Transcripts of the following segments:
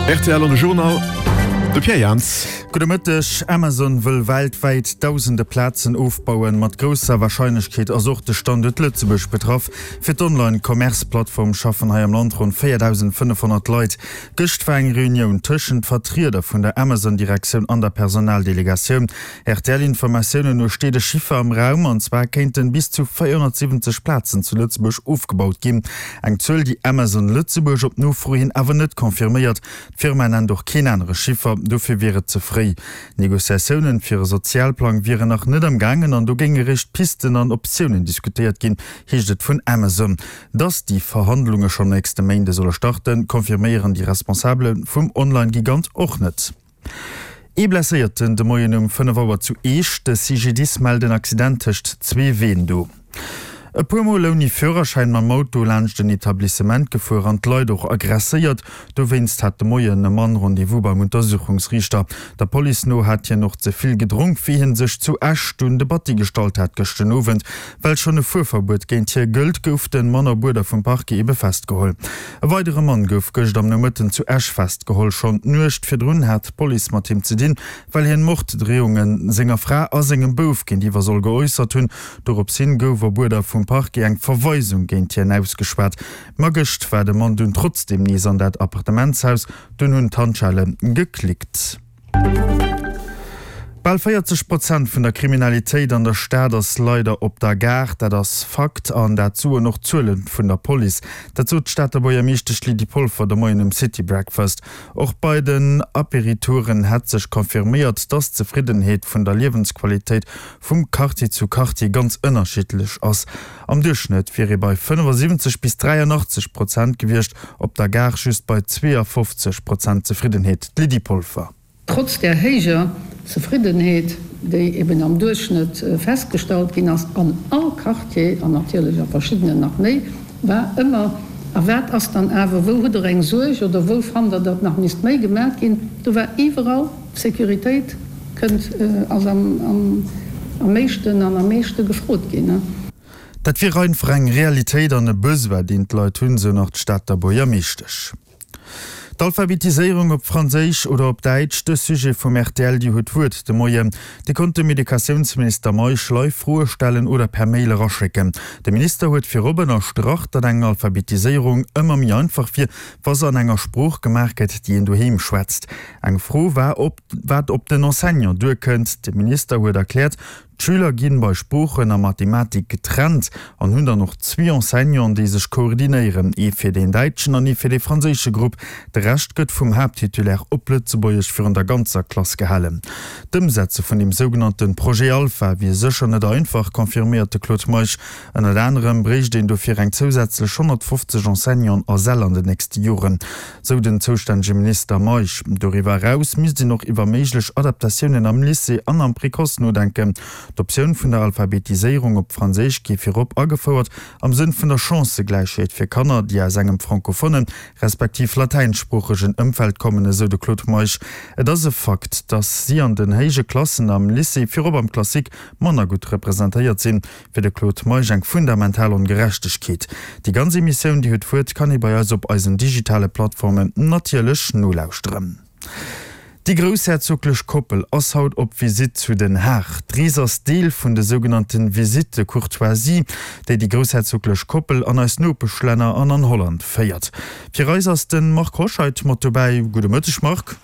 Rtl an de Journal, de Pierre Jans. Gudde Mëtteg. Amazon wëll weltwäit dausende Plazen ofbauen. Mat grousser Warscheinlechkeet ass och de Standuert Lëtzebuerg betraff. Fir d'Online-Commerce-Plattform schaffen hei am Land ronn 4.500 Leit. Gëscht war eng Reunioun tëschent Vertrieder vun der Amazon-Direktioun an der Personaldelegatioun. RTL-Informatiounen no steet e Chiffer am Raum, an zwar kéinten bis zu 470 Plazen zu Lëtzebuerg ofgebaut ginn. Eng Zuel, déi Amazon Lëtzebuerg op Nofro hin awer net confirméiert. D'Firma nennt och keen anere Chiffer, dofir wier et ze fréi. D'Negociatiounen fir e Sozialplang wieren nach net am gaangen an do géinge réischt Pisten an Optiounen diskutéiert ginn, heescht et vun Amazon. Dass déi Verhandlunge schonn nächste Méinde solle starten, confirméieren déi Responsabele vum Online-Gigant och net. Ee Blesséierten de Moien um 5 Auer zu Eech. De CGDIS mellt en Accident tëscht zwee Ween do. E puer Mol ouni Führerschäin mam Auto laanscht en Etablissement gefuer an d'Leit och aggresséiert. Dowéinst hat de Moien e Mann Rendez-vous beim Untersuchungsriichter. Der Police no hat hien och ze vill gedronk, wéi hie sech zu Esch dunn de Batti gestallt hat gëscht den Owend. Well schonn e Fuerverbuet géint hie gëllt, gouf de Mann op Uerder vum Parquet ebe festgeholl. E weidere Mann gouf gëscht am Nomëtten zu Esch festgeholl. Schonn d'Nuecht virdrun hat d'Police mat him ze dinn, well hien Morddreeunge senger Fra a sengem Bouf géintiwwer soll geäussert hunn. Dorops hin gouf op Uerder vum Parquet eng Verweisung géint hien ausgeschwat. Ma gëscht war de Mann dunn trotzdeem nees an dat Appartementshaus, dunn hunn d'Handschelle geklickt. Bal 40 Prozent vun der Kriminalitéit an der Stad ass leider op der Gare. Dat ass Fakt an dat soen och d'Zuele vun der Police. Dat sot d'Stater Buergermeeschtesch Lydie Polfer de Moien um City Breakfast. Och bei den Apéritouren hätt sech confirméiert, dass d'Zefriddenheet vun der Liewensqualitéit vum Quartier zu Quartier ganz ënnerschiddlech ass. Am Duerchschnëtt wier ee bei 75 bis 83 Prozent gewiescht, op der Gare just bei 52 Prozent Zefriddenheet. D'Lydie Polfer. Trotz där héijer Zefriddenheet, déi eben am Duerchschnëtt festgestallt ginn ass an all Quartier, an natierlech a verschiddenen nach méi, war ëmmer, A wat ass dann awer, wou hutt Der eng Suerg oder wou fannt Der, datt nach misst méi gemaach ginn? Do war iwwerall d'Sécuritéit kënnt, ass am meeschten an am meeschte gefrot ginn. Dat wier einfach eng Realitéit an e Besoin, deen d'Leit hunn, sou nach d'Stater Buergermeeschtesch. D'Alphabetiséierung op Franséisch oder op Däitsch, de Sujet vum rtl Dir hutt d'Wuert de Moien. Dir konnt dem Educatiounsminister Meisch live Froe stellen oder per Mail eraschécken. De Minister huet virop ënnerstrach, datt eng Alphabetiséierung ëmmer méi einfach wier, wa se an enger Sprooch gemaach gëtt, déi een doheem schwätzt. Eng Fro war, ob wat op den Enseignant duerkënnt. De Minister huet erkläert, D'Schüler ginn bei Sproochen a Mathematik getrennt an hunn dann och zwee Enseignanten, déi sech koordinéieren, ee fir deen däitschen an ee fir dee franséische Grupp. De Rescht gëtt vum Haapttitulaire op Lëtzebuergesch virun der ganzer Klass gehalen. D'Ëmsetze vun deem sougenannte Projet Alpha wier sécher net einfach, confirméiert de Claude Meisch. Ënnert anerem bréicht een dofir eng zousätzlech 150 Enseignanten a Säll an den nächste Joren, sou den zoustännege Minister Meisch. Doriwwer eraus misst een och iwwer méiglech Adaptatiounen am Lycée an am Précoce nodenken. D'Optioun vun der Alphabetiséierung op Franséisch géif virop agefouert am Sënn vun der Chancëgläichheet fir Kanner, déi aus engem francophonen, respektiv latäinssproochegen Ëmfeld kommen, esou de Claude Meisch. Et ass e Fakt, datt si an den héije Klassen am Lycée, virop am Classique, manner gutt representéiert sinn. Fir de Claude Meisch eng fundamental Ongerechtegkeet. Déi ganz Emissioun Dir hutt d'Wuert kann ee bei eis op eisen digitale Plattformen natierlech nolauschteren. Déi groussherzoglech Koppel ass haut op Visitt zu Den Haag. D'Rees ass Deel vun de sougenannte Visites de courtoisie, déi déi groussherzoglech Koppel an eis Nopeschlänner an an Holland féiert. Fir eis ass de Marc Hoscheid mat dobäi. Gudde Mëtteg Marc.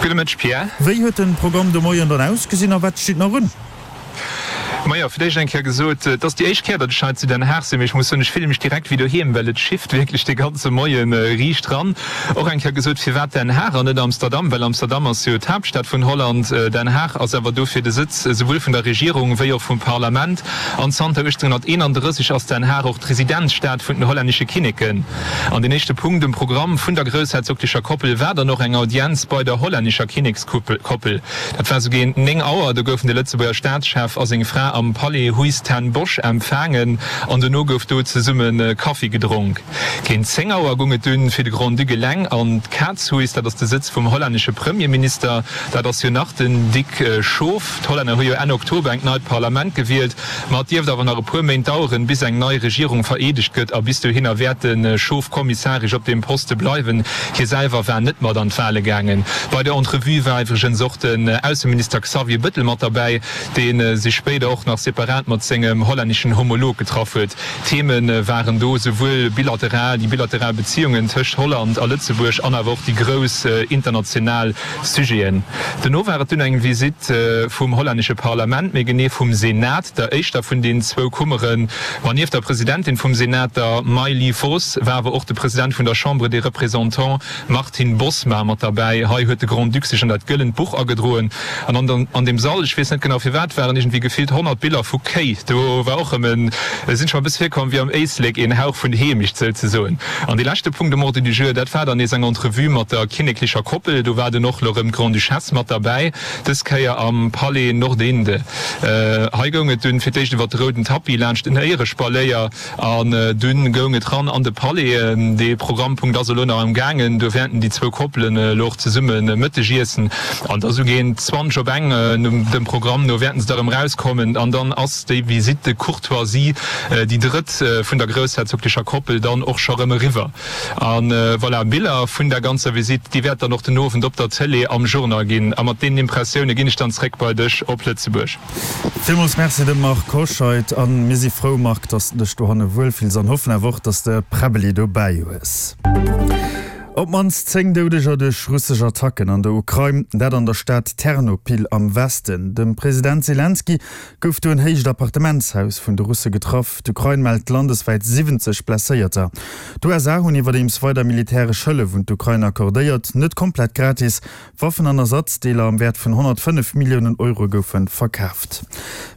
Gudde Mëtteg Pierre. Wéi huet den Programm de Moien dann ausgesinn a wat steet nach un? Majo, fir d'éischt eng Kéier gesot, et ass déi éischt Kéier, datt ech hei zu Den Haag sinn, mee ech muss soen, ech fille mech direkt wéi doheem, well et schifft wierklech de ganze Moie riicht ran. Och eng Kéier gesot, firwat Den Haag an net Amsterdam, well Amsterdam ass jo d'Haaptstad vun Holland, Den Haag ass awer dofir de Sëtz esouwuel vun der Regierung wéi och vum Parlament an zanter 1831 ass Den Haag och d'Residenzstad vun den hollännesche Kinneken. An deen éischte Punkt um Programm vun der groussherzoglecher Koppel war dann och eng Audienz bei der hollännescher Kinnekskoppel. Dat war sou géint 9 Auer. Do goufen de Lëtzebuerger Staatschef a seng Fra. am Palais Huis ten Bosch empfaangen an dono gouf do zesumme Kaffi gedronk. Géint 10 Auer goung et dunn fir de Grand-Duc eleng an d'Caatshuis, dat ass de Sëtz vum hollännesche Premierminister. Dat ass jo nach den Dick Schoof. D'Hollänner hu jo Enn Oktober engt neit Parlament gewielt, ma et dierft awer nach e puer Méint daueren, bis eng nei Regierung vereedegt gëtt a bis dohinner wäert de Schoof kommissaresch op deem Poste bleiwen. Hie selwer war net mat an d'Wale gaangen. Bei der Entrevue war iwwregens och den Ausseminister Xavier Bëttel mat derbäi, dee sech spéider och nach separat mat sengem hollänneschen Homolog getraff huet. Theme waren do souwuel bilateral, déi bilateral Beziungen tëscht Holland a Lëtzebuerg an awer och déi grouss international Sujeten. Dono war et dunn eng Visitt vum hollännesche Parlament, méi genee vum Senat, der éischter vun den zwou Kummeren. Ma nieft der Presidentin vum Senat, der Maylie Vos, war awer och de President vun der Chambre des Représentants, Martin Bosma, mat derbäi. Hei huet de Grand-Duc sech an dat gëllent Buch agedroen. An an deem Sall, ech weess net genau firwat, waren iergendwéi gefillt 100 Biller vu Kéi. Do war och erëm en, sinn ech mer e bësse virkomm wéi am Éislek, een Hauch vun Heemecht souzesoen. An dee leschte Punkt um Ordre du jour, dat war dann nees eng Entrevue mat der kinneklecher Koppel. Do war dunn och elo erëm d'Grande-Duchesse mat derbäi, dës Kéier am Palais Noordeinde. Hei goung et dunn fir d'éischt iwwer de rouden Tapis laanscht den Éierespalléier an dunn goung et ran an de Palais. Dee Programmpunkt ass elo nach am gaangen. Do wäerten déi zwou Koppelen elo och zesumme Mëtteg iessen an da sou géint 20 op eng, dem Programm no, wäerten se da erëm rauskommen an dann ass déi Visite de courtoisie, déi drëtt vun der groussherzoglecher Koppel, dann och scho rëm eriwwer. A voilà, Biller vun der ganzer Visite, déi wäert dann och den Owend op der Tëlee am Journal ginn. A mat deenen Impressioune ginn ech dann zréck bei dech op Lëtzebuerg. Villmools Merci dem Marc Hoscheid. A mir si frou, Marc, dass de dech dohanne wuel fills an hoffen awer och, dass de Präbbeli dobäi hues. Op d'mannst 10 Doudeger duerch russesch Attacken an der Ukrain, dat an der Stad Ternopil am Westen. Dem President Selenskyj gouf do en héicht Appartementshaus vun de Russe getraff. D'Ukrain mellt landeswäit 70 Blesséierter. D'USA hunn iwwerdeems weider militäresch Hëllef un d'Ukrain accordéiert, net komplett gratis. Waffen an Ersatzdeeler am Wäert vun 105 Milliounen Euro goufe verkaaft.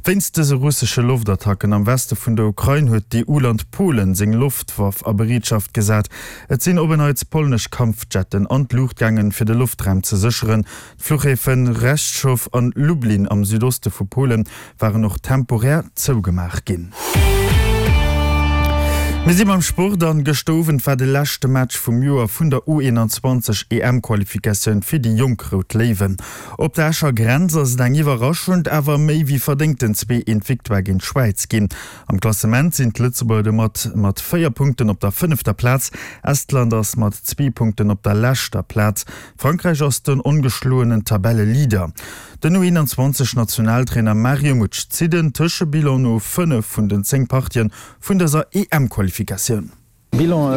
Wéinst dëse russesche Loftattacken am Weste vun der Ukrain huet d'EU-Land Polen seng Loftwaff a Bereetschaft gesat. Et sinn op en Neits polnesch Kampfjetten an d'Luucht gaangen, fir de Loftraum ze sécheren. D'Fluchhäfe Rzeszow an Lublin am Südoste vu Polen waren och temporär zougemaach ginn. Mir si beim Sport an gëschter Owend war de leschte Match vum Joer vun der U21 EM-Qualifikatioun fir déi jonk Rout Léiwen. Op der Escher Grenz ass et eng iwwerraschend, awer méi wéi verdéngten 2, 1 Victoire géint d'Schwäiz ginn. Am Klassement sinn d'Lëtzebuerger domat mat 4 Punkten op der fënnefter Plaz. Estland ass mat zwee Punkten op der leschter Plaz. Frankräich ass den ongeschloenen Tabelleleader. Den U21 Nationaltrainer Mario Mutsch zitt en Tëschebilan no 5 vun den 10 Partien vun dëser EM-Qualifikatioun. Bilan,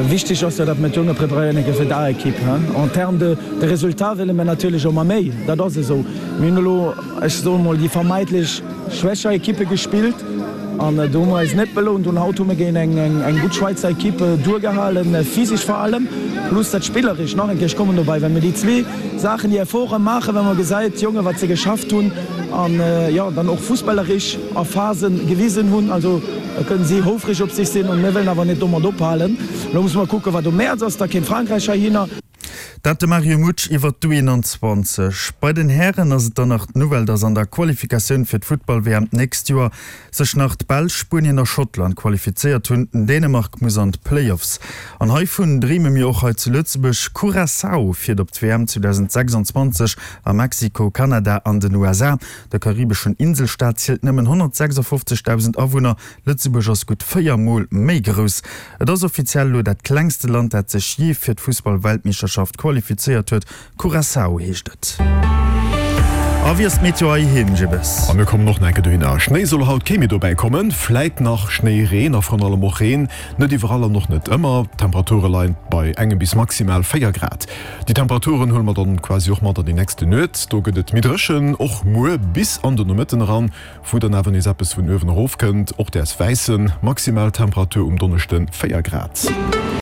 Wichteg ass jo, datt mir d'Jonge preparéieren eng Kéier fir d'A-Ekipp. En termes de de résultats wëlle mir natierlech ëmmer méi, dat ass esou. Mir hunn elo, ech soe mol, déi vermeidlech schwächer Ekippe gespillt an do hu mer eis net belount. Un haut hu mir géint eng eng gutt Schwäizer Ekipp duergehalen, physesch vor allem, plus dat spilleresch nach eng Kéier. Ech kommen dobäi, well mir déi zwee Saachen, déi Efforte maachen, well mer gesäit, d'Jonge wat se geschafft hunn an jo dann och fussballerich a Phasen gewisen hunn. Also da kënnen si houfreg op sech sinn an mir wëllen awer net domat ophalen. Elo musse mer kucken, wat um Mäerz ass, da kéint Frankräich heihinner. Dat de Mario Mutsch iwwer d'U21. Bei den Hären ass et dann nach d'Nouvelle, dass an der Qualifikatioun fir d'Futtball-WM d'nächst Joer sech nach d'Belsch, Spuenien a Schottland qualifizéiert hunn. Dänemark muss an d'Playoffs. An heivun dreeme mir och hei zu Lëtzebuerg. Curaçao fiert op d'WM 2026 a Mexiko, Kanada an den USA. De karibeschen Inselstaat zielt nëmmen 156.000 Awunner, Lëtzebuerg ass gutt 4 Mol méi grouss. Et ass offiziell elo dat klengste Land, dat sech jee fir d'Fussball-Weltmeeschterschaft qualifizéiert huet. Curaçao heescht et. A wéi ass d'Meteo heiheem, Jibbes? A mir kommen och nach enke dohinner. Schnéi soll haut kee méi dobäi kommen, fläit nach Schnéireen a vrun allem och Reen. Net iwwerall an och net ëmmer. D'Temperature leien bei engem bis maximal 4 Grad. Déi Temperaturen huele mer dann quasi och mat an déi nächste Nuet. Do gëtt et méi dréchen, och muer bis an de Nomëtten eran, wou dann awer nees eppes vun uewen erof kënnt. Och däers wäissen. Maximaltemperatur um Donneschde 4 Grad.